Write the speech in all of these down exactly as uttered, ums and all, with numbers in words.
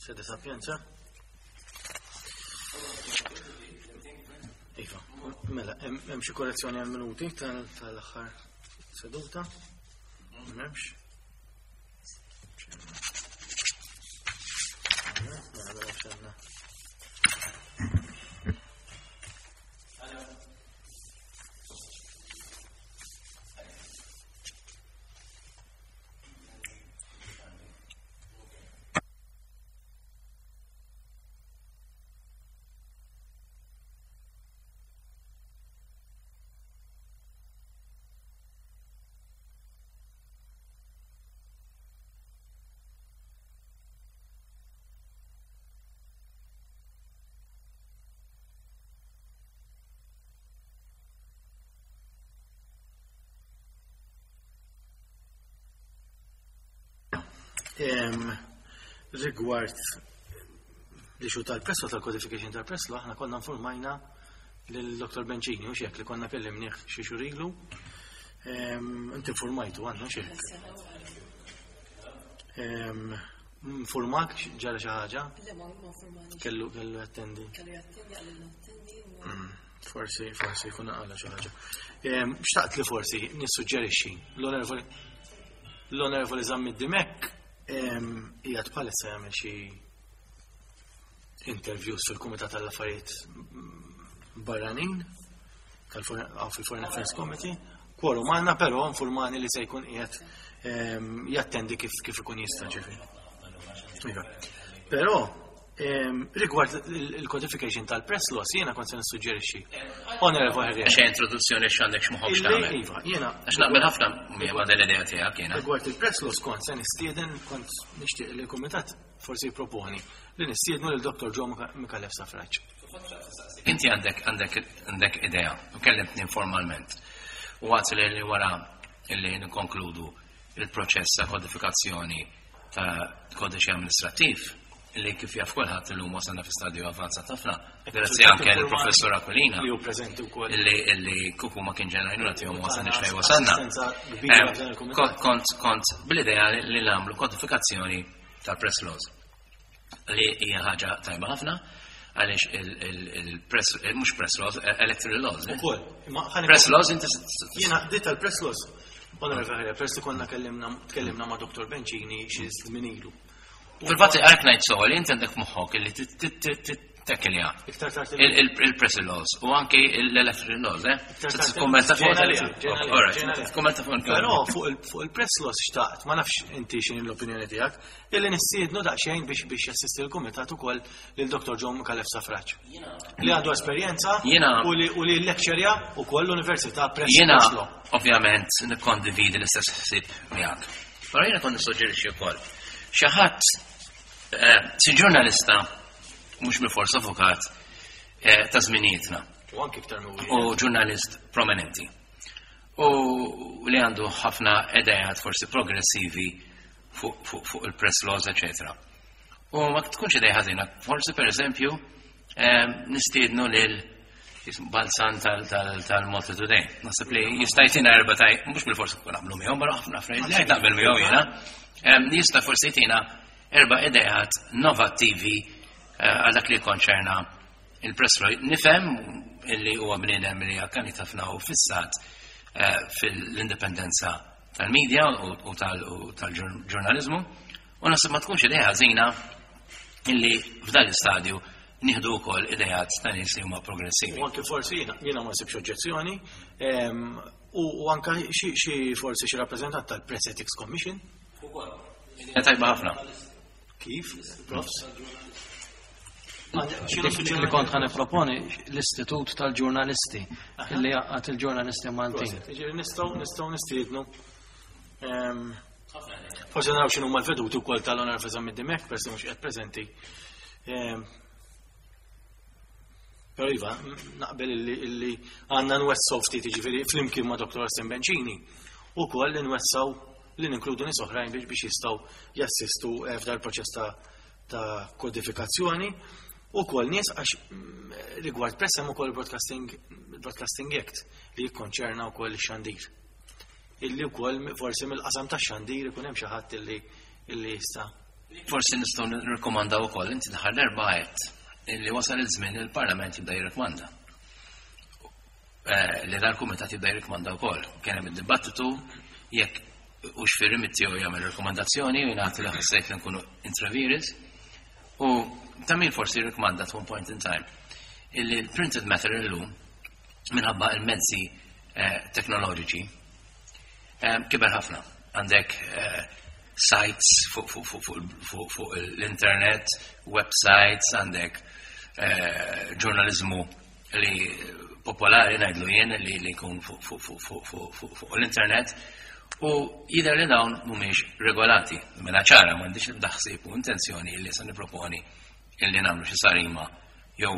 Sede Sapienza. Iva, mela, hemm xi korrezzjoni għal minuti tal-aħħar seduta? M'hemmx. Mela, mela, x'għandna. Rigward l-issue tal-press law, tal-codification tal-press law, aħna konna informajna lil-Doktor Bencini, u xek li konna kellimnieh xi xhur ilu. Inti informajtu għandna xek. Informak ġara xi ħaġa? Le, ma informani. Kellu kellu jattendi. Kellu jattendi, għalli attendi. Forsi, forsi jkun għala xi ħaġa. Xtaqt li forsi nissuġġerixxi l-onorevoli l-onorevoli Zammit Dimech qiegħed bħalissa jagħmel xi interviews fil-Kumitat tal-Affarijiet Barranin fil-Foreign Affairs Committee. Quorum għandna, però informani li se jkun qiegħed jattendi kif kif ikun jista' ġifieri. Iva. Però rigward il-codification tal-press laws jiena kont se nissuġġerixxi. Onorevoli Herrera. Xi introduzzjoni x'għandek x'moħħok x'tagħmel. Iva, jiena. Għax naqbel ħafna ma' din l-idea tiegħek jiena. Rigward il-press laws kont se nistieden, kont nixtieq li l-kumitat forsi jipproponi li nistiednu lil Doktor Joe Micallef Stafrace. Inti għandek għandek għandek idea u kellimtni informalment. U għat li wara li nkonkludu il-proċess ta' kodifikazzjoni ta' kodiċi amministrattiv li kif jaf kulħadd illum wasalna fi stadju avvanzat ħafna. Grazzi anke lill-Professur Aquilina. Li hu preżenti wkoll. Illi illi kuku ma kien ġenrajnuna tiegħu ma wasalniex fejn wasalna. Assistenza kbira f'dan il-kumitat. Kont, kont bl-idea li nagħmlu kodifikazzjoni tal-press laws li hija ħaġa tajba ħafna għaliex il-press, mhux press laws, electoral laws. Ukoll. Imma ħalli Press laws inti Jiena di tal-press laws. Onorevoli Herrera, press li konna kellimna, tkellimna ma' Doktor Bencini xi żmien ilu. Fil-fatt għalhekk ngħid soli, inti għandek moħħok illi tekkelja. Iktar tard il-press laws u anki l-electoral laws, eh? Iktar tard Titkummenta fuq ġejna liha, ġejna liha, All right, ġejna liha. titkummenta fuq il- Però fuq il-, fuq il-press laws xtaqt, ma nafx inti x'inhi l-opinjoni tiegħek, illi nistiednu daqsxejn biex, biex jassisti l-kumitat ukoll lil Doktor Joe Micallef Stafrace. Li għandu esperjenza Jiena u li, u li lecturja ukoll l-Università press Jiena press law. ovvjament nikkondividi l-istess ħsieb miegħek. Però jiena kont nissuġġerixxi wkoll. Xi ħadd, eh, xi ġurnalista mhux bil-fors avukat, eh, ta' żminijietna. U anki iktar minn wieħed. U ġurnalist prominenti. U li għandu ħafna idejat forsi progressivi fuq, fuq, fuq il-press laws, eccetera. U ma tkunx idea ħażina, forsi per eżempju, eh, nistiednu lil Balzan tal-Malta Today. Naħseb li jista' jtina erba' taj, mhux bil-forsi kun naqblu miegħu, però ħafna affarijiet li naqbel miegħu jiena. Em, jista' forsi jtina erba' idejat innovattivi, eh, għal dak li konċerna il-press law. Nifhem illi huwa bniedem li akkanit ħafna u fissat, eh, fil-indipendenza tal-medja u, u tal-, u tal-ġurnalizmu, u naħseb ma tkunx idea ħażina illi f'dan l-istadju nieħdu wkoll idejat ta' nies li huma progressivi. U anke forsi jiena, jiena ma nsibx oġġezzjoni, em, u, u anke xi, xi forsi xi rappreżentant tal-Press Ethics Commission. Idea tajba ħafna. Kif? Profs? Dik li kont ħa nipproponi l-Istitut tal-Ġurnalisti illi jgħaqqad il-ġurnalisti Maltin. Ġifieri nistgħu, nistgħu nistiednu. Ehm, forsi naraw x'inhu huma l-veduti wkoll tal-Onorevoli Zammit Dimech, persi mhux qed preżenti. Ehm, però iva, naqbel illi, illi għandna nwessaw ftit, jiġifieri flimkien ma' Doktor Austin Bencini, ukoll li nwessaw li ninkludu nies oħrajn biex, biex jistgħu jassistu, eh, f'dar proċess ta', ta' kodifikazzjoni. U kol nies għax, mm, rigward press hemm ukoll Broadcasting, Broadcasting Act li jikkonċerna wkoll ix-xandir. Illi wkoll forsi mill-qasam tax-xandir ikun hemm xi ħadd illi, illi jista' Forsi nistgħu nirrikomandaw ukoll, inti daħal l-erba' għedt illi wasal iż-żmien il-Parlament jibda jirrikmanda. Eh, li dal-kumitat jibda jirrikmanda wkoll. Kien hemm id-dibattitu jekk hux fir-remit tiegħu jagħmel rekomandazzjoni u jingħati li ħassejt li nkunu intra vires. U ta' min forsi jirrikmanda at one point in time illi l-printed matter illum, minħabba il-mezzi eh, teknoloġiċi, eh, kiber ħafna. Għandek eh, sites fuq fuq fuq fuq fuq fuq l-internet, websites, għandek eh, ġurnalizmu li popolari, ngħidlu jien, li li jkun fuq fuq fuq fuq fuq fuq fuq l-internet u jidher li dawn mhumiex regolati. Mela ċara, m'għandix l ħsieb u intenzjoni li se niproponi illi nagħmlu xi sarima jew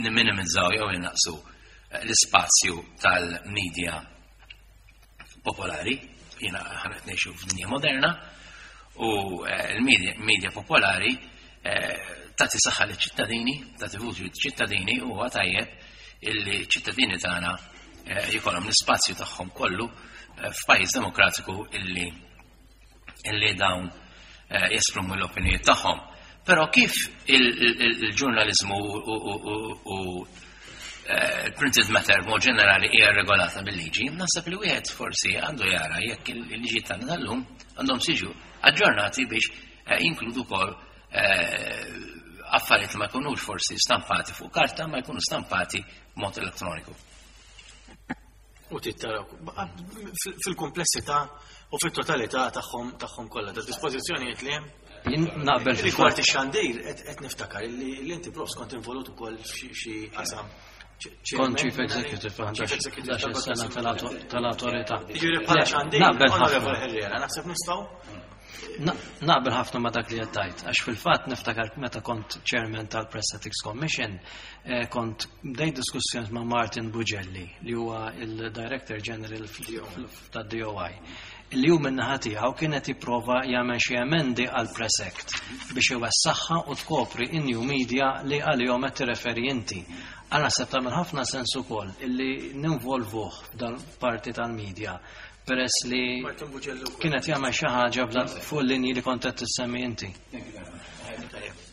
nimminimizzaw jew innaqsu eh, l-ispazju tal-media popolari. Jiena aħna qed ngħixu f'dinja moderna u eh, l-media media popolari eh, tagħti saħħa liċ-ċittadini, tagħti vuċi liċ-ċittadini u huwa tajjeb illi ċittadini tagħna eh, jkollhom l-ispazju tagħhom kollu eh, f'pajjiż demokratiku illi illi dawn eh, jesprimu l-opinjonijiet tagħhom. Però kif il-ġurnalizmu u il-printed matter mod ġenerali hija regolata bil-liġi, naħseb li wieħed forsi għandu jara jekk il-liġi tagħna tal-lum għandhom siġu aġġornati biex eh, jinkludu wkoll eh, affarijiet li ma jkunux forsi stampati fuq karta, ma jkunu stampati b'mod elettroniku. U tittaraw fil-komplessità u fit-totalità tagħhom tagħhom kollha, ta' dispożizzjonijiet li hemm. Jien naqbel Rigward ix-xandir, qed niftakar li li inti, Profs, kont involut ukoll f'xi qasam. Kont Chief Executive Chief Executive ħdax-il sena tal-autorità. Jiġifieri bħala xandir, Naqbel ħafna. Onorevole Herrera, naħseb nistgħu Na- Naqbel ħafna ma dak li għedt, għax fil-fatt niftakar meta kont chairman tal-Press Ethics Commission, eh, kont bdejt diskussjoni ma' Martin Bugelli, li huwa il-Director General tad-D O I, li hu min-naħa tiegħu kienet jipprova jagħmel xi emendi għal Press Act biex iwessaħħa u tkopri in-new media li għalihom qed tirreferi inti. Għal naħseb tagħmel ħafna sens ukoll illi ninvolvuh f'dan parti tal-media, peress li Martin Bugelli wkoll. kienet jagħmel xi ħaġa b'dan fuq il-linji li kont qed tissemmi inti.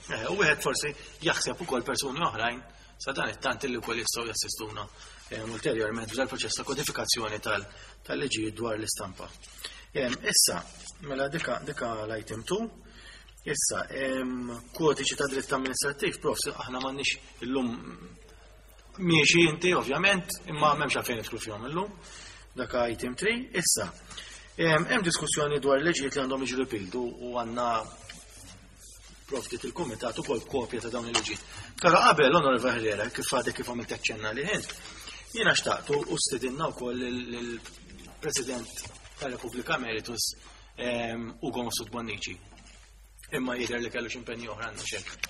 Eh, U wieħed forsi jaħseb ukoll persuni oħrajn sa dan it-tant li wkoll jistgħu jassistuna eh, ulterjorment f'dal proċess ta' kodifikazzjoni tal- tal-liġijiet dwar l-istampa. Em, Issa, mela dika dika l-item two. Issa, em, kodiċi ta' dritt amministrattiv, Profs, aħna m'għandniex illum, miexi inti ovvjament, imma m'hemmx għalfejn nidħlu fihom illum. Dak item three. Issa, em, hemm diskussjoni dwar liġijiet li għandhom jiġu repealed u u għandna provdit il-kumitat ukoll kopja ta' dawn il-liġijiet. Però qabel, Onorevole Herrera, kif għadek kif għamilt aċċenna li ħint, jiena xtaqtu u stidinna wkoll il-President tal-Repubblika Emeritus em, Ugo Mifsud Bonnici. Imma jidher li kellu x'impenji oħra, għandna xek.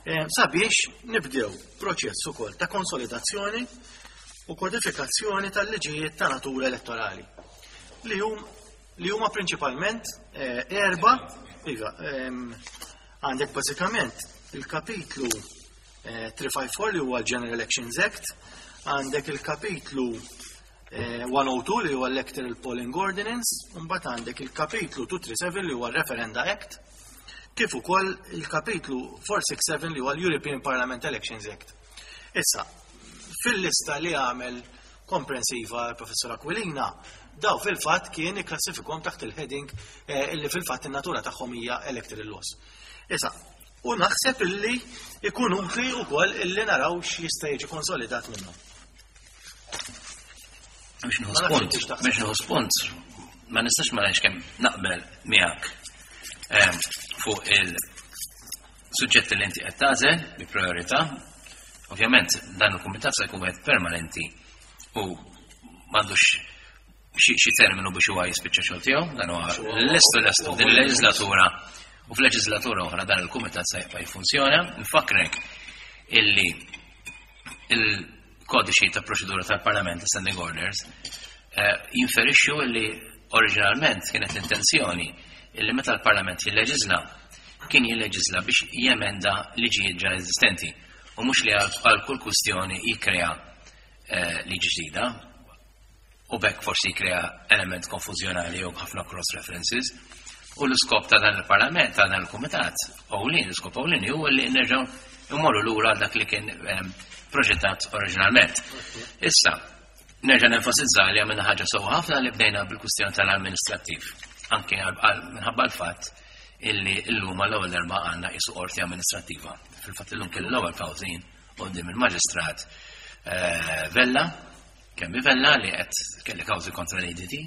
Em, Sabiex nibdew proċess ukoll ta' konsolidazzjoni u kodifikazzjoni tal-liġijiet ta' natura elettorali li hum li huma prinċipalment eh, erba, iva, em, għandek bażikament il-kapitlu eh, tlieta ħamsa erba' li huwa l-General Elections Act, għandek il-kapitlu eh, mija u tnejn li huwa Electoral Polling Ordinance, u mbagħad għandek il-kapitlu dmenja tlieta seba' li huwa Referenda Act, kif ukoll il-kapitlu erba' sitta seba li huwa l-European Parliament Elections Act. Issa, fil-lista li għamel komprensiva l-Professor Aquilina, daw fil-fatt kien ikklassifikom taħt il-heading eh, illi fil-fatt in-natura tagħhom hija electoral laws. Issa, u naħseb illi ikun utli wkoll illi naraw x'jista' jiġi konsolidat minnhom. Biex nieħu Ma nafx spunt, inti x'taħseb. Biex nieħu spunt, ma nistax ma ngħidx kemm naqbel miegħek em, fuq il-suġġetti li inti qed tagħżel bi priorità. Ovvjament dan il-kumitat se jkun wieħed permanenti u m'għandux xi xi terminu biex huwa jispiċċa xogħol tiegħu, dan huwa lestu lestu din il-leġislatura u f'leġislatura oħra dan il-kumitat se jibqa' jiffunzjona. Nfakrek illi il-kodiċi ta' proċedura tal-Parlament, standing orders, eh, jinferixxu illi oriġinalment kienet l-intenzjoni illi meta l-Parlament jilleġisla, kien jilleġisla biex jemenda liġijiet ġa eżistenti u mhux li għal għal kull kwistjoni jikkrea eh, liġi ġdida u bekk forsi jikkrea element konfużjonali jew ħafna cross references. U l-iskop ta' dan il-Parlament, ta' dan il-Kumitat, ewlieni, l-iskop ewlieni huwa li nerġgħu immorru lura għal dak li kien ehm, proġettat oriġinalment. Issa, nerġa' nenfasizza li għamilna ħaġa sewwa ħafna li bdejna bil-kwistjoni tal-amministrattiv. Anke għal- għal- minħabba l-fatt illi illum għall-ewwel darba għandna qisu qorti amministrattiva. Fil-fatt illum kelli l-ewwel kawżin quddiem il-Maġistrat eh, Vella, kemm Vella li qed kelli kawżi kontra l-A D T,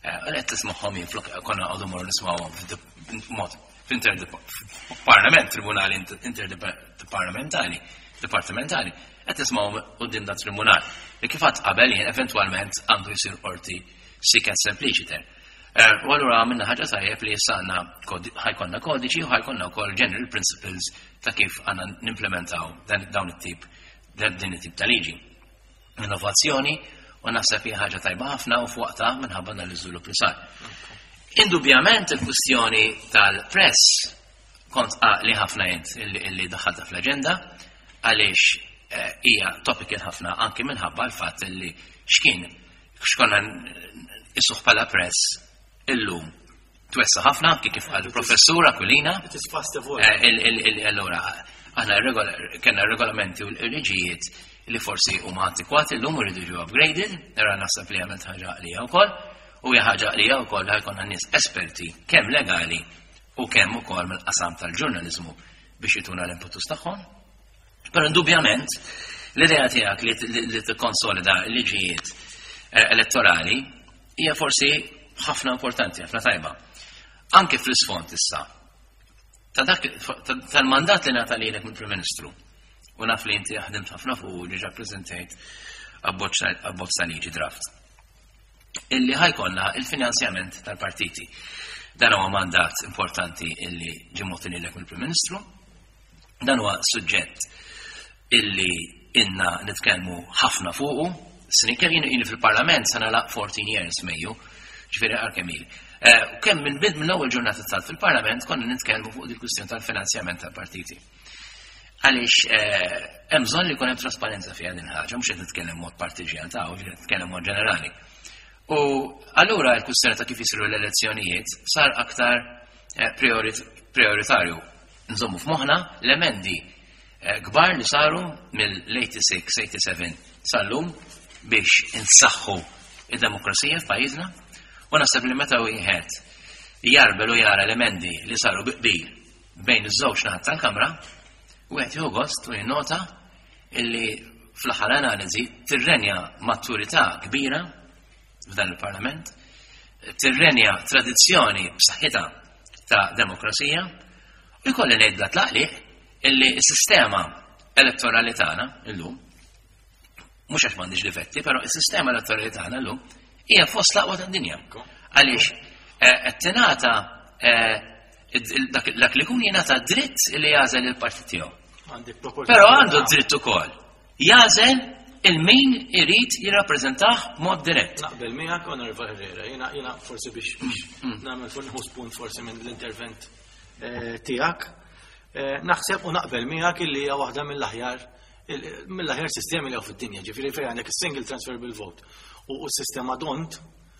eh, li qed tismagħhom jien flok konna għadu morru nismawhom mod f'inter-parlament, tribunali interdepartamentali, dipartimentali, qed tismawhom quddiem dat tribunal. Li kif għedt qabel jien eventwalment għandu jsir qorti sic et simpliciter. Eh, U allura għamilna ħaġa tajjeb li issa għandna kodi- ħa jkollna kodiċi u ħa jkollna wkoll general principles ta' kif għandna nimplementaw dan dawn it-tip dan din it-tip ta' liġi. Innovazzjoni u naħseb hija ħaġa tajba ħafna u f'waqtha minħabba dan l-iżvilupp li sar. Indubjament il-kwistjoni tal-press kont li ħafna jent illi, illi daħħalta fl-agenda għaliex eh, hija topical ħafna anki minħabba l-fatt illi x'kien x'konna isuħ bħala press illum twessa ħafna anki kif qal il-professur Aquilina. It is fast evolving. Eh, il- il- il- Allora, aħna regola- kellna regolamenti u l-liġijiet li forsi huma antikwati llum iridu jiġu upgraded, nara naħseb li għamilt ħaġa għalija wkoll, u hija ħaġa għalija wkoll ħa jkollna nies esperti kemm legali u kemm ukoll mill-qasam tal-ġurnaliżmu biex jituna l-impetus tagħhom. Però indubjament l-idea tiegħek li li- li tikkonsolida l-liġijiet eh, elettorali hija forsi ħafna importanti, ħafna tajba. Anke fl-isfond issa ta' dak ta- tal-mandat li ngħata lilek mill-Prim Ministru. U naf li inti ħdimt ħafna fuq u diġà preżentejt abbozz abbozz ta' liġi draft. Illi ħa jkollna il-finanzjament tal-partiti. Dan huwa mandat importanti illi ġie mogħti lilek mill-Prim Ministru. Dan huwa suġġett illi ilna nitkellmu ħafna fuqu. Snin kemm jien ili fil-Parlament sa nagħlaq fourteen years Mejju, ġifieri għal kemm ili. Eh, U kemm minn bid mill-ewwel ġurnata tal fil-Parlament konna nitkellmu fuq il-kwistjoni tal-finanzjament tal-partiti. Għaliex eh, hemm bżonn li jkun hemm trasparenza fiha din ħaġa, mhux qed nitkellem mod partiġjan ta' u nitkellem mod ġenerali. U allura l-kwistjoni ta' kif jisiru l-elezzjonijiet sar aktar eh, priorit- prioritarju. Nżommu f'moħħna l-emendi eh, kbar li saru mill-eighty-six eighty-seven sal-lum biex insaħħu id-demokrazija f'pajjiżna u naħseb li meta wieħed jarbel u jara l-emendi li saru bi qbil bejn iż-żewġ naħat tal-Kamra, wieħed jieħu gost u jinnota illi fl-aħħar analiżi tirrenja maturità kbira f'dan il-Parlament, tirrenja tradizzjoni b'saħħitha ta' demokrazija u jkolli ngħid bla tlaqliq illi s-sistema elettorali tagħna illum mhux għax m'għandix difetti, però s-sistema elettorali tagħna llum hija fost l-aqwa tad-dinja. Għaliex eh, qed tingħata eh, id- dak dak li jkun jingħata dritt li jagħżel il-partit tiegħu. Għandek proporzjonalità. Però għandu dritt ukoll jagħżel il-min irid jirrappreżentah b'mod dirett. Naqbel miegħek, Onorevole Herrera, jiena jiena forsi biex biex nagħmel fuq nieħu spunt forsi minn l-intervent eh, tiegħek. Eh, Naħseb u naqbel miegħek illi hija waħda mill-aħjar il- mill-aħjar sistemi li hawn fid-dinja, ġifieri fejn għandek is-single transferable vote u u s-sistema d'Hondt.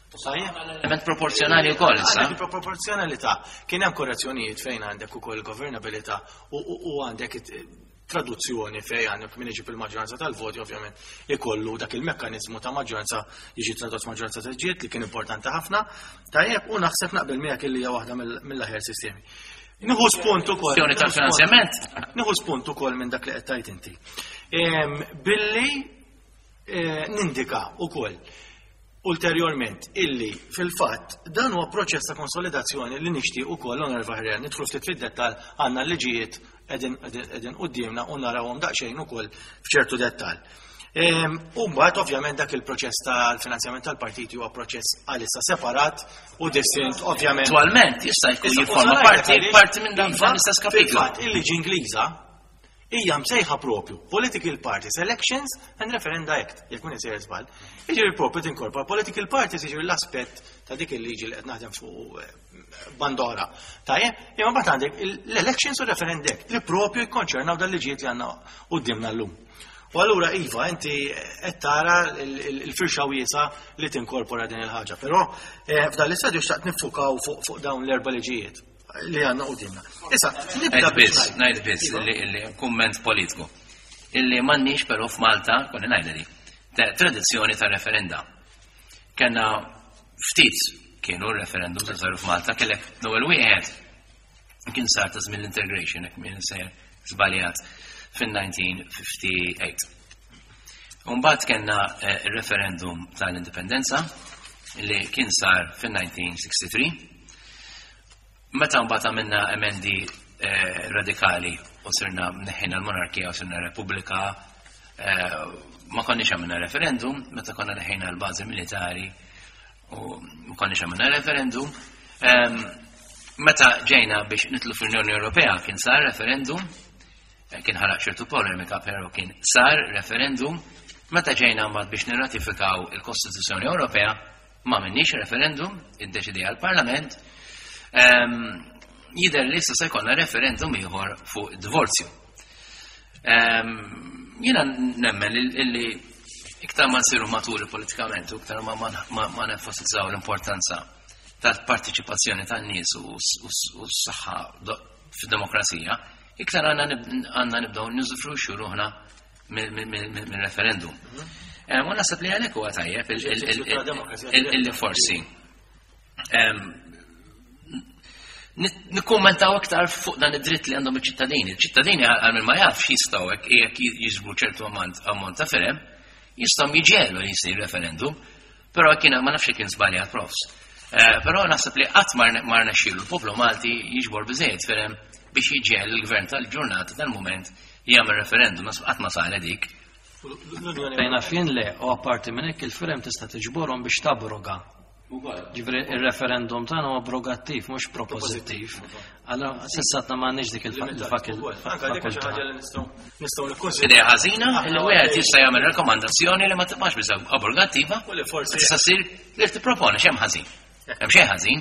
Tajjeb? Element proporzjonali wkoll issa. Għandek il-proporzjonalità. Kien hemm korrezzjonijiet fejn għandek ukoll governabilità u u- u għandek it- traduzzjoni fejn għandek min iġib il-maġġoranza tal-voti ovvjament ikollu dak il-mekkaniżmu ta' maġġoranza jiġi tradott maġġoranza ta' ġiet li kien importanti ħafna. Tajjeb, u naħseb naqbel miegħek illi hija waħda mill- mill-aħjar sistemi. Nieħu spunt ukoll. Kwestjoni tal-finanzjament. Nieħu spunt ukoll minn dak li qed tgħid inti. Em, Billi eh, nindika ukoll ulterjorment illi fil-fatt dan huwa proċess ta' konsolidazzjoni li nixtieq ukoll, Onorevole Herrera, nidħlu ftit fid-dettall, għandna l-liġijiet qegħdin qegħdin quddiemna u narawhom daqsxejn ukoll f'ċertu dettall. Ehm, U mbagħad ovvjament dak il-proċess tal-finanzjament tal-partiti huwa proċess għalissa separat u distint ovvjament. Attualment jista' jkun Issa, jifforma u parti għaliex, parti minn dan iva, l-istess kapitlu. Fil-fatt, il-liġi Ingliża hija msejħa propju Political Parties Elections and Referenda Act, jekk minn isejjer żball. Jiġifieri propju tinkorpora political parties, jiġifieri l-aspett ta' dik il-liġi li qed naħdem fuq eh, bandora. Tajjeb, imma mbagħad għandek l-Elections u Referenda Act li propju jikkonċernaw dal-liġijiet li għandna quddiemna llum. U allura iva, inti qed tara il-firxa wiesa li tinkorpora din il-ħaġa. Però eh, f'dan l-istadju xtaqt niffukaw fuq dawn l-erba' liġijiet li għandna qudiemna. Issa, nibda biss, ngħid biss illi kumment politiku. Illi m'għandniex però f'Malta, konni ngħidha di, tradizzjoni ta' referenda. Kellna ftit kienu referendum ta' saru f'Malta, kellek l-ewwel wieħed kien sar ta' żmien l-integration, jekk m'iniex sejjer żbaljat fin-elf disa' mija u ħamsa u ħamsin. Umbagħad kellna eh, il-referendum tal-indipendenza li kien sar fin-elf disa' mija u tlieta u sittin. Meta mbagħad għamilna emendi eh, radikali u sirna neħħejna l-monarkija u sirna repubblika, eh, ma konniex għamilna referendum, meta konna neħħejna l-bażi militari u ma konniex għamilna referendum. Em, Meta ġejna biex nidħlu fl-Unjoni Ewropea kien sar referendum, eh, kien ħalaq ċertu polemika, però kien sar referendum. Meta ġejna mbagħad biex nirratifikaw il-Kostituzzjoni Ewropea, ma għamilniex referendum, iddeċidi għal-Parlament. Em, Jidher li issa se jkollna referendum ieħor fuq divorzju. Em, Jiena nemmen illi iktar ma nsiru maturi politikament u iktar ma, ma, ma, ma nenfasizzaw l-importanza tal-partiċipazzjoni tan-nies u s-saħħa fid-demokrazija, iktar għandna nibdew niżufruxxu ruħna mill-referendum. U naħseb li għalhekk huwa tajjeb illi forsi nikkummentaw iktar fuq dan id-dritt li għandhom iċ-ċittadini. Il-ċittadini, għal min ma jafx, jistgħu hekk jekk jiġbru ċertu ammont ta' firem, jistgħu jiġġiegħlu li jsir referendum, però kien ma nafx kien żbaljat, profs. Però naħseb li qatt ma rnexxielu l-poplu Malti jiġbor biżejjed firem biex jiġġiegħel il-gvern tal-ġurnata tal-mument jagħmel referendum, naħseb qatt ma saret dik. Fejna fin le, u apparti minn hekk il-firem tista' tiġborhom biex tabroga. Ġifieri il-referendum tagħna huwa abrogattiv, mhux proposittiv. Allora s'issa m'għandniex dik il-fakultà. Nistgħu nikkonsidraw. Idea ħażina li wieħed jista' jagħmel rakkomandazzjoni li ma tibqax biss abrogattiva, U li forsi tista' ssir li tipproponi. X'hemm ħażin? Hemm xejn ħażin.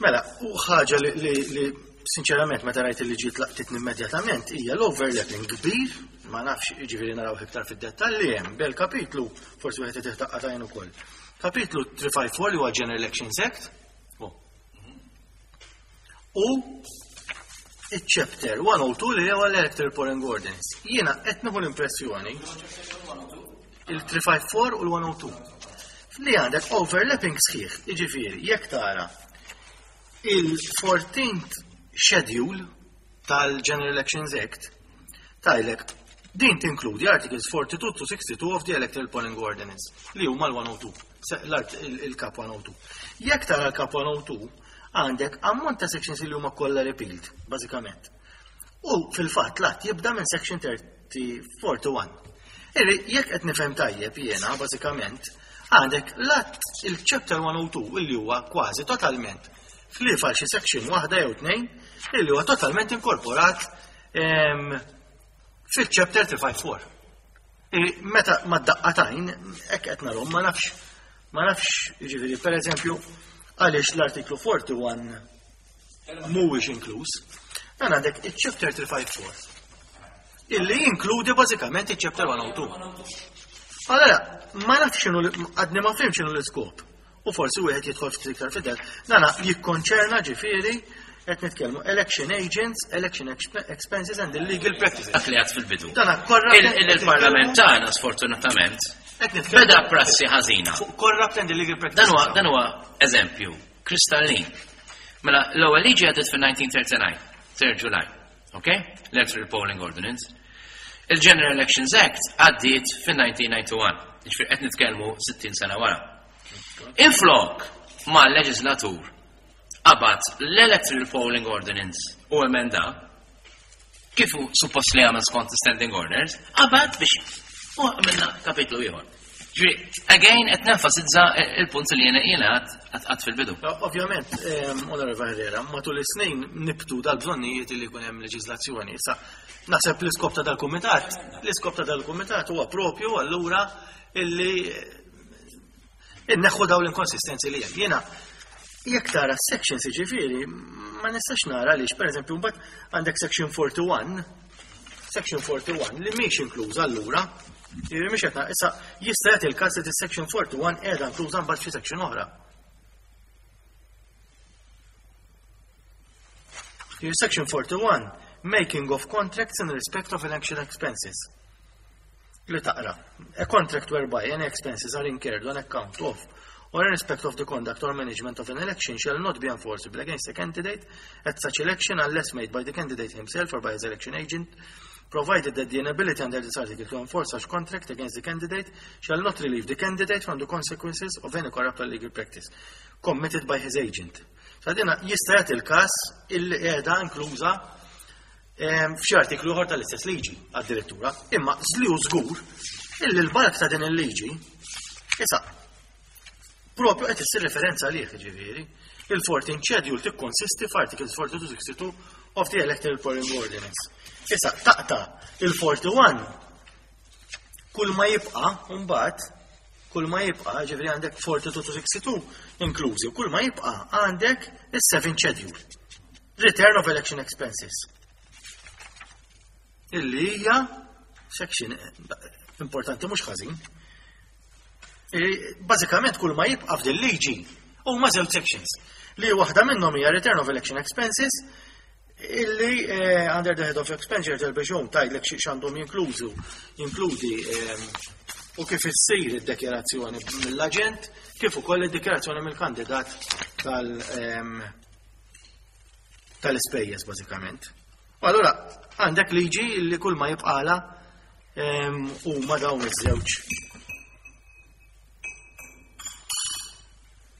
Mela, u ħaġa li, li, li sinċerament meta rajt li ġiet laqtitni immedjatament hija l-overlapping kbir, ma nafx, jiġifieri naraw iktar fid-dettalji, hemm bel kapitlu, forsi wieħed irid tajn ukoll. Kapitlu tlieta ħamsa erba' li huwa General Elections Act u il-chapter one oh two li huwa l-Electoral Polling Ordinance. Jiena qed nieħu l-impressjoni il-tlieta ħamsa erba' u l-one oh two li għandek overlapping sħiħ, jiġifieri jekk tara il-fourteenth schedule tal-General Elections Act, tgħidlek din tinkludi articles forty-two to sixty-two of the Electoral Polling Ordinance li huma l-one oh two, l-art il-kap one oh two. Jekk tara l-kap one oh two, għandek ammont ta' sections li huma kollha repealed, bażikament. U fil-fatt l-att jibda minn section thirty forty-one. Iri, jekk qed nifhem tajjeb jiena, bażikament, għandek l-att il-chapter one oh two illi huwa kważi totalment, ħlief għal xi section waħda jew tnejn, illi huwa totalment inkorporat em, fil-chapter tlieta ħamsa erba'. Iri, meta ma daqqatajn, hekk qed narhom, ma nafx, ma nafx, jiġifieri, per eżempju, għaliex l-artiklu forty-one mhuwiex inkluż. Dan għandek il-chapter tlieta ħamsa erba' illi jinkludi bażikament il-chapter one oh two. Allora, ma nafx x'inhu, għadni ma fhimtx x'inhu l-iskop. U forsi wieħed jidħol ftit iktar fidel. Dana jikkonċerna, ġifieri qed nitkellmu election agents, election exp- expenses and illegal practices. Dak li għedt fil-bidu. Dana corrupt Il- Il-Parlament tagħna sfortunatament qed nitkellmu beda prassi ħażina. fuq corrupt and illegal practices. Dan huwa dan huwa eżempju kristallin. Mela, l-ewwel liġi għaddiet fil-elf disa' mija u tlieta u disgħin, third July. Okay? Electoral Polling Ordinance. Il-General Elections Act għaddiet fil-elf disa' mija u disgħa u disgħin. Ġifieri qed nitkellmu sittin sena wara. Inflok ma l-leġislatur qabad l-Electoral Polling Ordinance u emenda kif hu suppost li għamel skont standing orders, qabad biex u għamilna kapitlu ieħor. Ġifieri, again, qed nenfasizza il-punt li jiena jiena għedt fil-bidu. Ovvjament, Onorevole Herrera, matul is-snin nibtu dal-bżonnijiet li jkun hemm leġiżlazzjoni. Issa, naħseb l-iskop ta' dal-kumitat, l-iskop ta' dal-kumitat huwa propju allura illi inneħħu daw l-inkonsistenzi li hemm. Jiena jekk tara sections, jiġifieri, ma nistax nara għaliex, pereżempju, mbagħad għandek section forty-one. Section forty-one li mhix inkluża allura, jiġifieri mhix qed issa jista' jagħti l-każ li section forty-one qiegħda inkluża mbagħad xi section oħra. Jiġifieri section forty-one, making of contracts in respect of election expenses. Li taqra, a contract whereby any expenses are incurred on account of or in respect of the conduct or management of an election shall not be enforceable against a candidate at such election unless made by the candidate himself or by his election agent, provided that the inability under this article to enforce such contract against the candidate shall not relieve the candidate from the consequences of any corrupt or illegal practice committed by his agent. Sadina jista' jagħti l-każ illi qiegħda inkluża f'xi artiklu ieħor tal-istess liġi għad-direttura, imma żliu żgur illi l-bark ta' din il-liġi issa propju qed issir referenza għalih, ġifieri. Il-fourteen schedule tikkonsisti f'articles forty-two sixty-two of the Electoral Polling Ordinance. Issa taqta' il-forty-one kull ma jibqa' mbagħad kull ma jibqa', ġifieri għandek forty-two to sixty-two inklużi, kull ma jibqa' għandek is-seven schedule. Return of election expenses. Illi hija section importanti mhux ħażin. Bażikament kull ma jibqa' f'din liġi huma żewġ sections. Li waħda minnhom hija return of election expenses illi eh, under the head of expenditure tal-biex tgħidlek x'għandhom jinklużu, jinkludi eh, u kif issir id-dikjarazzjoni mill-aġent, kif ukoll id-dikjarazzjoni mill-kandidat tal ehm, tal-ispejjeż bażikament. U allura għandek liġi li kull ma jibqala ehm, huma dawn iż-żewġ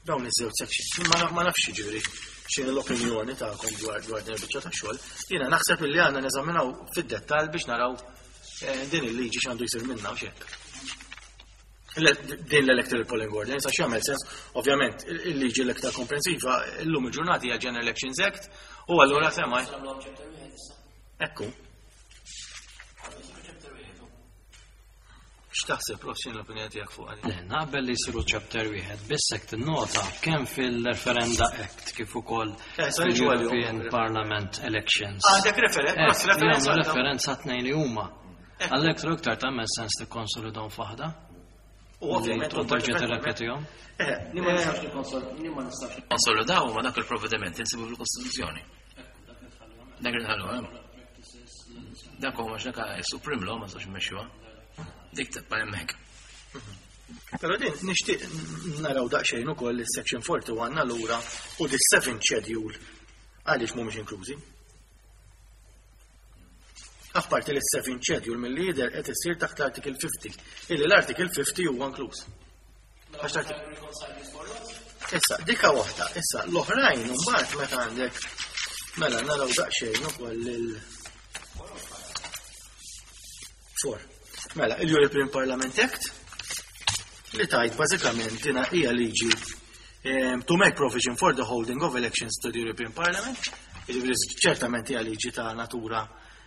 dawn iż-żewġ sections. Ma, ma nafx jiġifieri x'inhi l-opinjoni tagħkom dwar dwar din il-biċċa ta' xogħol. Jiena naħseb illi għandna neżaminaw fid-dettall biex naraw eh, din il-liġi x'għandu jsir minnha u x'hekk. Din l-Electoral Polling Ordinance, għax jagħmel sens, ovvjament, il-liġi l-iktar komprensiva llum il-ġurnata hija General Elections Act, u allura semmaj. Ekku. X'taħseb, Prof, x'inhi l-opinjoni tiegħek fuq għalih? Le, naqbel li jsiru chapter wieħed, biss hekk tinnota kemm fil-Referenda Act kif ukoll Eh, sa niġu għalihom. fil-European Parliament Elections. Għandek referen- Eh, Prof, referenza jagħmlu għal dawn. referenza tnejn li huma. Għalhekk tru iktar tagħmel sens tikkonsolidhom f'waħda. U ovvjament Li terġa' tirrepetihom. Eh, Ni ma nistax nikkonsol-, ni ma nistax nikkonsolidaw ma dak il-provvediment insibu fil-Kostituzzjoni. Dak li tħallu hemm. Dak huwa dak Supreme Law ma nistax immexxuha. Dik tibqa' hemmhekk. Però din nixtieq naraw daqsxejn ukoll is-section forty-one allura u the seventh schedule għaliex mhumiex inklużi. Apparti li s-seventh schedule mill-lider qed issir taħt l-Article fifty, illi l-Article fifty huwa inkluż. Għax l-artik- Issa, dika waħda, issa l-oħrajn imbagħad meta għandek mela naraw daqsxejn ukoll il four. Mela, il-European Parliament Act li tajt bażikament dina hija liġi, ehm, to make provision for the holding of elections to the European Parliament, jiġifieri ċertament hija liġi ta' natura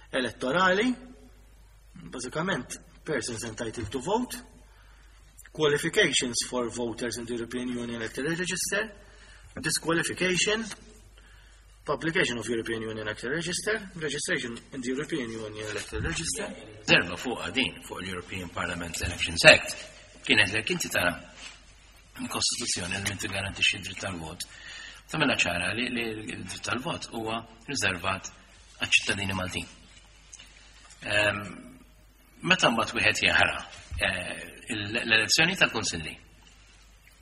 elettorali, bażikament persons entitled to vote, qualifications for voters in the European Union Electoral Register, disqualification, publication of European Union Electoral Register, registration in the European Union Electoral Register. Zerba fuq din, fuq l-European Parliament Elections Act, kienet li inti tara l-Kostituzzjoni li inti garantixxi d-dritt tal-vot. Tagħmilha ċara li li l-dritt tal-vot huwa riservat għaċ-ċittadini Maltin. Ehm, meta mbagħad wieħed jaħra, eh, l-elezzjoni tal-Kunsilli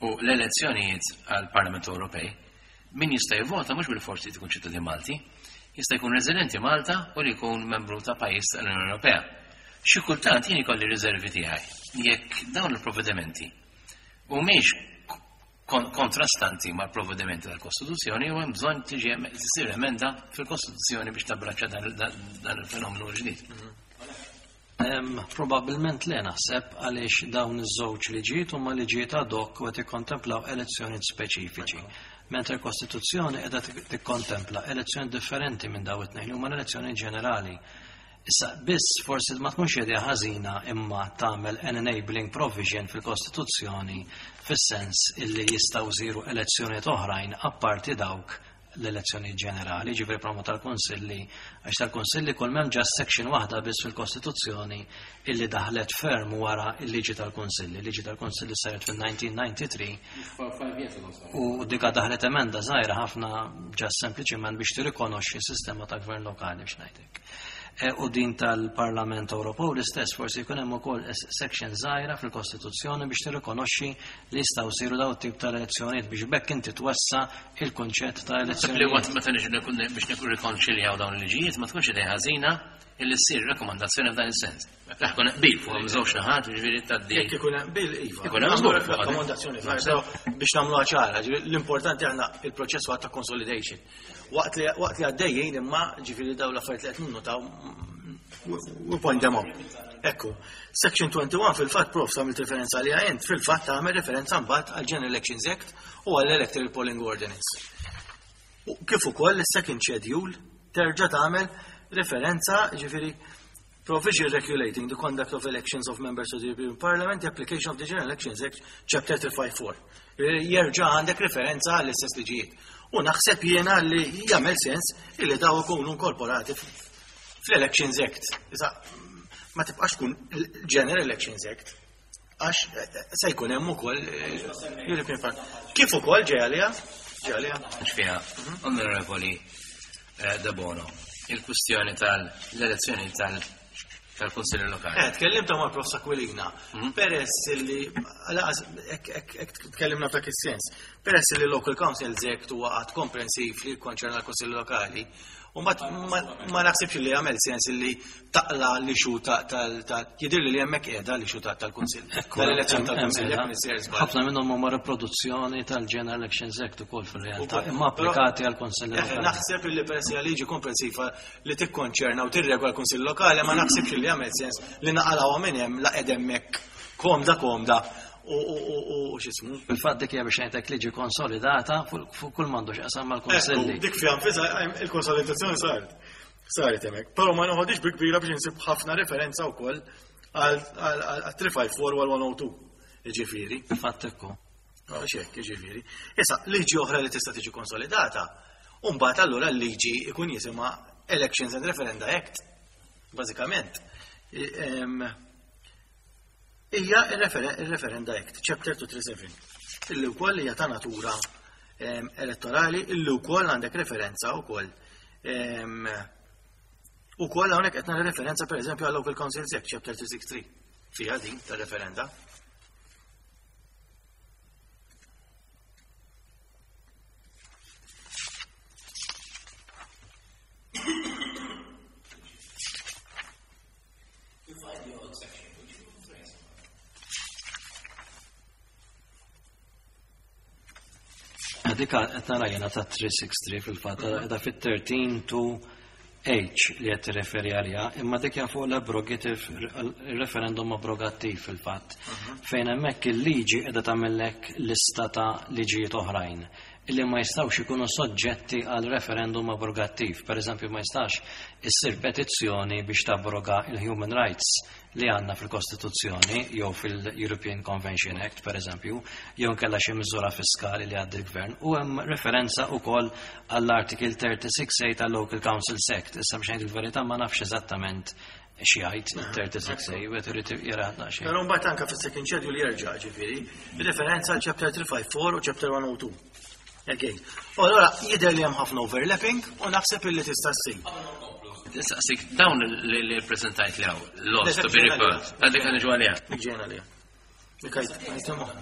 u l-elezzjonijiet għall-Parlament Ewropej, min jista' jivvota mhux bil-forsi tkun ċittadin Malti, jista' jkun residenti Malta u li jkun membru ta' pajjiż tal-Unjoni Ewropea. Xi kultant jien ikolli riservi tiegħi jekk dawn il-provvedimenti humiex kon-, kontrastanti mal-provvedimenti tal-Kostituzzjoni u hemm bżonn tiġi em-, tisir emenda fil-Kostituzzjoni biex tabbraċċa dan, dan, dan il-fenomenu ġdid. Em, Probabilment le naħseb għaliex dawn iż-żewġ liġijiet huma liġijiet ad hoc u qed ikkontemplaw elezzjonijiet speċifiċi. Mentre l-Kostituzzjoni qiegħda tik-, tikkontempla elezzjoni differenti minn dawn it-tnejn, huma l-elezzjoni ġenerali. Issa biss forsi ma tkunx idea ħażina imma tagħmel an enabling provision fil-Kostituzzjoni fis-sens illi jistgħu jsiru elezzjonijiet oħrajn apparti dawk l-elezzjoni ġenerali, ġifieri promo tal-Kunsilli, għax tal-Kunsilli kull m'hemm just section waħda biss fil-Kostituzzjoni illi daħlet ferm wara il-liġi tal-Kunsilli. Liġi tal-Kunsilli saret fil-nineteen ninety-three u dika daħlet emenda żgħira ħafna, just sempliċiment biex tirrikonoxxi s-sistema ta' gvern lokali, biex ngħidlek. E, u din tal-Parlament Ewropew l-istess, forsi jkun hemm ukoll section żgħira fil-Kostituzzjoni biex tirrikonoxxi li jistgħu jsiru daw tip ta' elezzjonijiet biex bekk inti twessa il-kunċett ta' Li elezzjonijiet. waqt meta niġu nkun biex nikun rikonċiljaw dawn il-liġijiet, ma tkunx idea ħażina illi ssir rakkomandazzjoni f'dan is-sens. Tkun qbil fuq żewġ naħat, ġifieri tgħaddi. Jekk ikun hemm bil, iva. Ikun hemm Nagħmlu żgur fuq rakkomandazzjoni, però biex nagħmluha ċara, ġifieri l-importanti aħna il-proċess huwa ta' consolidation. Waqt li waqt li għaddejjin imma, ġifieri dawn l-affarijiet li qed ninnotaw, we point them out. Ekku, Section twenty-one fil-fatt, Prof, għamilt referenza li int, fil-fatt għamel referenza mbagħad għal General Elections Act u għall Electoral Polling Ordinance. U kif ukoll is-second schedule terġa' tagħmel referenza, ġifieri provision regulating the conduct of elections of members of the European Parliament, the application of the General Elections Act, Chapter three fifty-four. Jerġa' għandek referenza għall-istess liġijiet. U naħseb jiena li jagħmel sens illi daw ikunu inkorporati fl-Elections Act. Issa, ma tibqax tkun General Elections Act, għax eh, se jkun hemm ukoll eh, European Parliament. Kif ukoll ġej għaliha? Ġej għaliha. Xfiha, Onorevoli eh, Debono, il-kwistjoni tal-elezzjoni tal- tal-Kunsilli Lokali. Eh, tkellimt ma' Prof Aquilina, peress li, għalaqas, ek, ek, ek tkellimna f'dak is-sens, peress li Local Councils Act huwa att komprensiv li jikkonċerna l-Kunsilli Lokali, u ma, ma, ma naħsibx li jagħmel sens li taqla li xu ta' tal ta' jidhirli li hemmhekk qiegħda li xu ta' tal-Kunsill. Tal-elezzjoni tal-Kunsill, jekk nisir żball. Ħafna minnhom huma riproduzzjoni tal-General Elections Act ukoll fil-realtà, Ukoll. imma applikati għal Kunsilli Eh, Lokali. Naħseb li peress li liġi komprensiva li tikkonċerna u tirregola l-Kunsill Lokali, ma naħsibx li jagħmel sens li naqalgħu minn hemm la qed hemmhekk komda komda u u u u x'ismu. Fil-fatt dik hija, biex ngħidlek, liġi konsolidata fuq fuq kull m'għandu x'qasam mal-Kunsilli. Ekku, dik fiha nfisha il-konsolidazzjoni saret. Saret hemmhekk. Però ma noħodix bi kbira biex insib ħafna referenza wkoll għal tlieta ħamsa erba' u għal one oh two. Ġifieri. Fil-fatt ekku. Għax hekk, ġifieri. Issa, liġi oħra li tista' tiġi konsolidata, u mbagħad allura l-liġi ikun jisimha Elections and Referenda Act. Bażikament. I- em, Hija il-Referenda Act, Chapter two three seven, illi wkoll hija ta' natura em, elettorali, illi wkoll għandek referenza wkoll. Em, Ukoll hawnhekk qed nara referenza pereżempju għal Local Councils Act, Chapter two six three. Fiha din tar-referenda. Dik qed nara jiena ta' tlieta sitta tlieta fil-fatt, qiegħda fit-thirteen to H li qed tirreferi għaliha, imma dik hija fuq l-abrogative, il-referendum abrogattiv fil-fatt, fejn hemmhekk il-liġi qiegħda tagħmellek lista ta' liġijiet oħrajn illi ma jistgħux ikunu soġġetti għal referendum abrogattiv. Per eżempju, ma jistax issir petizzjoni biex tabroga il-human rights li għandna fil-Kostituzzjoni jew fil-European Convention Act, per eżempju, jew nkella xi miżura fiskali li għaddi l-gvern. U hemm referenza wkoll għall-Article thirty-six A tal-Local Councils Act. Issa, biex ngħid il-verità, ma nafx eżattament xi jgħid il-thirty-six A, u qed irid jara xejn. Però mbagħad anke fis-second schedule jerġa', ġifieri, referenza għal Chapter three five four u Chapter one oh two. Again. U allora jidher li hemm ħafna overlapping u naħseb illi tista' ssir. Saqsik, dawn li li prezentajt li hawn, laws to be repealed, għaddik għan ġu għalija. Dik ġejna għaliha. Dik għajt- għajt moħħ.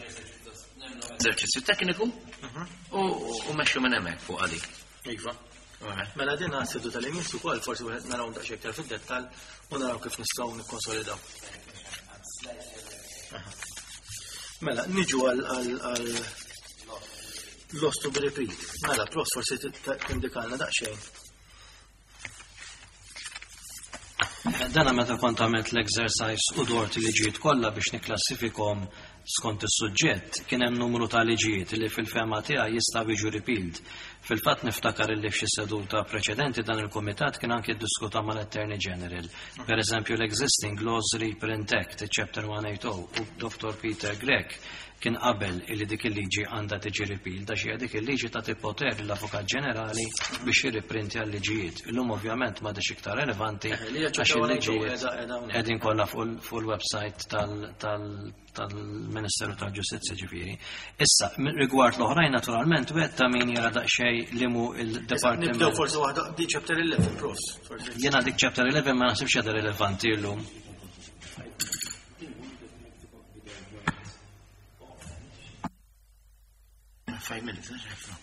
Eżerċizzju tekniku u u mexxu minn hemmhekk fuq għalik. Iva. Mela din għas-seduta tal-imis ukoll forsi wieħed naraw daqsxejn iktar fid-dettall u naraw kif nistgħu nikkonsolidaw. Aha. Mela, niġu għal għal għal laws to be repealed. Mela, Prof, forsi tindikalna daqsxejn. Dana meta kont għamilt l-exercise u dort liġijiet kollha biex niklassifikhom skont is-suġġett, kien hemm numru ta' liġijiet li fil-fehma tiegħi jistgħu jiġu repealed. Fil-fatt niftakar li f'xi seduta preċedenti dan il-kumitat kien anke ddiskuta mal-Attorney General. Per eżempju, l-Existing Laws Reprint Act, Chapter one eighty u Doctor Peter Grech kien qabel illi dik il-liġi għandha tiġi repealed, għax hija dik il-liġi tagħti poter l-Avukat Ġenerali biex jirriprintja l-liġijiet. Illum ovvjament m'għadix iktar relevanti Eh, li hija għax ċerta il-liġijiet qiegħda- qiegħda hawnhekk. qegħdin kollha fuq il- fuq il-website tal- tal- tal-Ministeru tal-Ġustizzja ġifieri. Issa, min- rigward l-oħrajn naturalment wieħed ta' min jara daqsxejn li mu il-Departiment. Nibdew forsi waħda di chapter eleven, profs. Forsi. Jiena dik chapter eleven ma naħsibx għadha rilevanti llum. Five minutes, eh?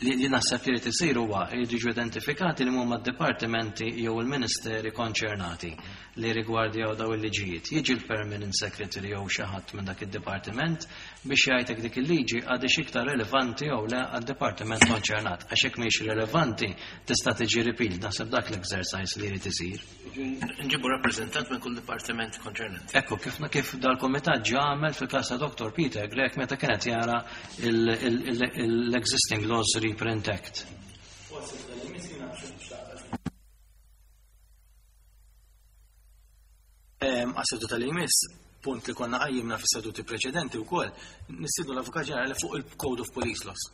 Li, li naħseb li jrid isir huwa jridu jiġu identifikati li huma d-dipartimenti jew il-ministeri konċernati li rigwardjaw daw il-liġijiet. Jiġi l-permanent secretary jew xi ħadd minn dak id-dipartiment biex jgħidlek dik il-liġi għadix iktar relevanti jew le għad-dipartiment konċernat. Għax hekk mhix relevanti tista' tiġi repealed. Naħseb dak l-exercise li jrid isir. Nġibu rappresentant minn kull dipartiment konċernat. Ekku, kif, kif dal-komitat ġa għamel fil-kas ta' Doctor Peter Grech meta kienet jara l-Existing Laws Reprint Act. Għas-seduta tal-imis, punt li konna qajjimna fis-seduti preċedenti wkoll, nistiednu l-Avukat Ġenerali fuq il-Code of Police Laws.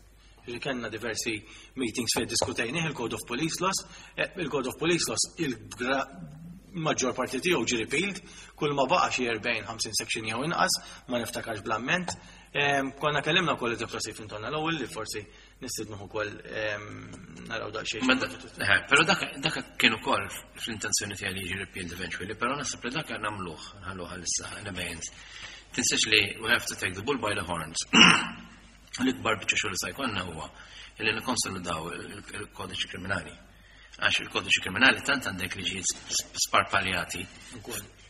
Ġifieri kellna diversi meetings fejn diskutejnih il-Code of Police Laws, eh, il-Code of Police Laws il-maġġor parti tiegħu ġie repealed, kull ma baqa' xi erbgħin ħamsin section jew inqas, ma niftakarx bl-amment. Em, Konna kellimna wkoll id-Dottor Stephen Tonna l-ewwel li forsi nistidnuh ukoll em, naraw daqsxejn. Ma da- eh, Però dak dak kien ukoll fl-intenzjoni tiegħi li jiġi repealed eventually, però naħseb li dak nagħmluh, nħalluh għalissa in abeyance. Tinsiex li we have to take the bull by the horns. L-ikbar biċċa xogħol se jkollna huwa li nikkonsolidaw il-kodiċi kriminali. Għax il-kodiċi kriminali tant għandek liġijiet sparpaljati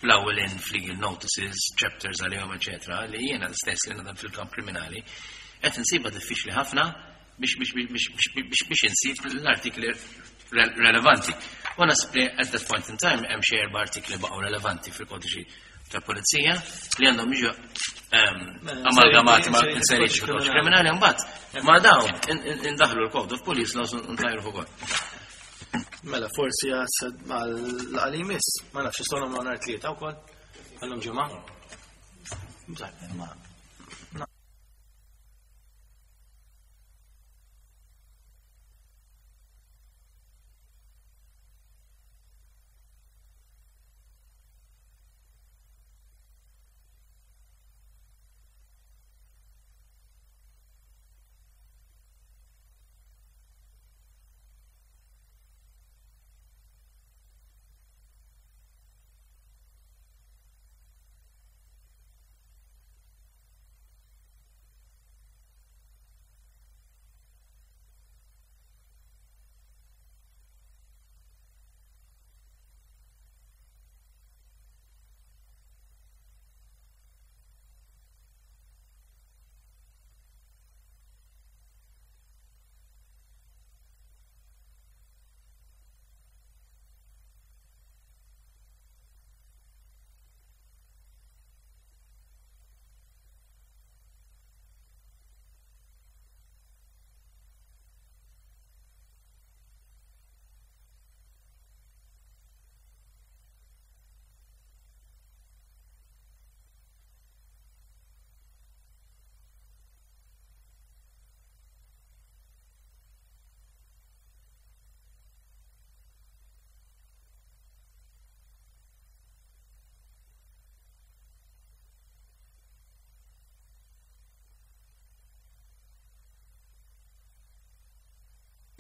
l-ewwel in legal notices, chapters għalihom, eċetera, li jiena stess li nadam fil-kamp kriminali qed insiba diffiċli ħafna biex biex biex biex biex biex insib l-artikli relevanti. U naħseb li at that point in time hemm xi erba' artikli baqgħu relevanti fil-kodiċi tal-pulizija li għandhom jiġu ehm, amalgamati ma' inseriti fil-kodiċi kriminali mbagħad ma' dawn indaħlu l-Code of Police Laws u ntajru fuq. Mela, forsi għal-għalimis, ma nafx, nistgħu nagħmlu nhar tlieta wkoll, għallum ġimgħa. Ma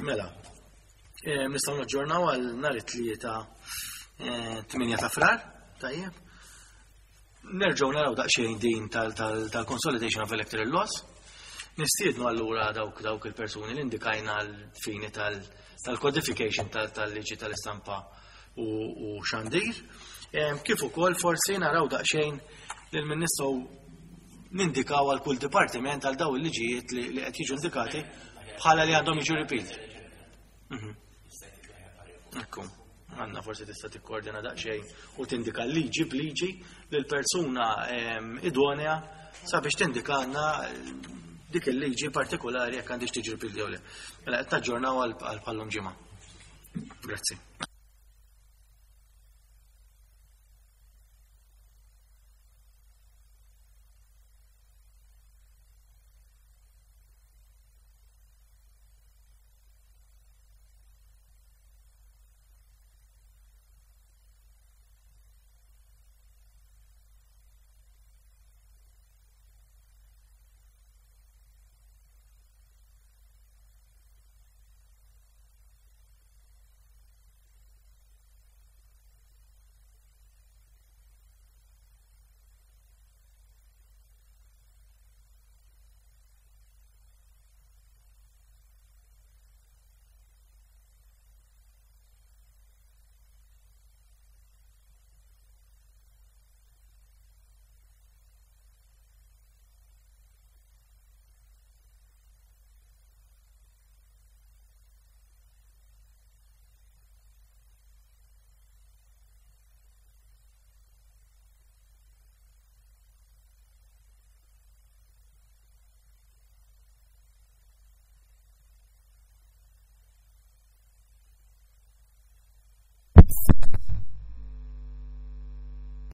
Mela, eh, nistgħu naġġornaw għal nhar it-tlieta eh, tmienja ta' Frar, tajjeb. Nerġgħu naraw daqsxejn din tal-consolidation of electoral laws. Nistiednu allura dawk dawk il-persuni li indikajna l-fini tal-codification tal-liġi tal-istampa u xandir. Eh, kif ukoll forsi naraw daqsxejn lil min nistgħu nindikaw għal kull dipartiment għal daw il-liġijiet li qed jiġu indikati bħala li għandhom jiġu repealed. Ekku, għanna forsi tista' tikkoordina daqsxejn u tindika liġi b'liġi lil persuna idonea sabiex tindika għandna dik il-liġi partikolari jekk għandix tiġi repealed jew le. Mela qed taġġornaw għal bħallum ġimgħa. Grazzi.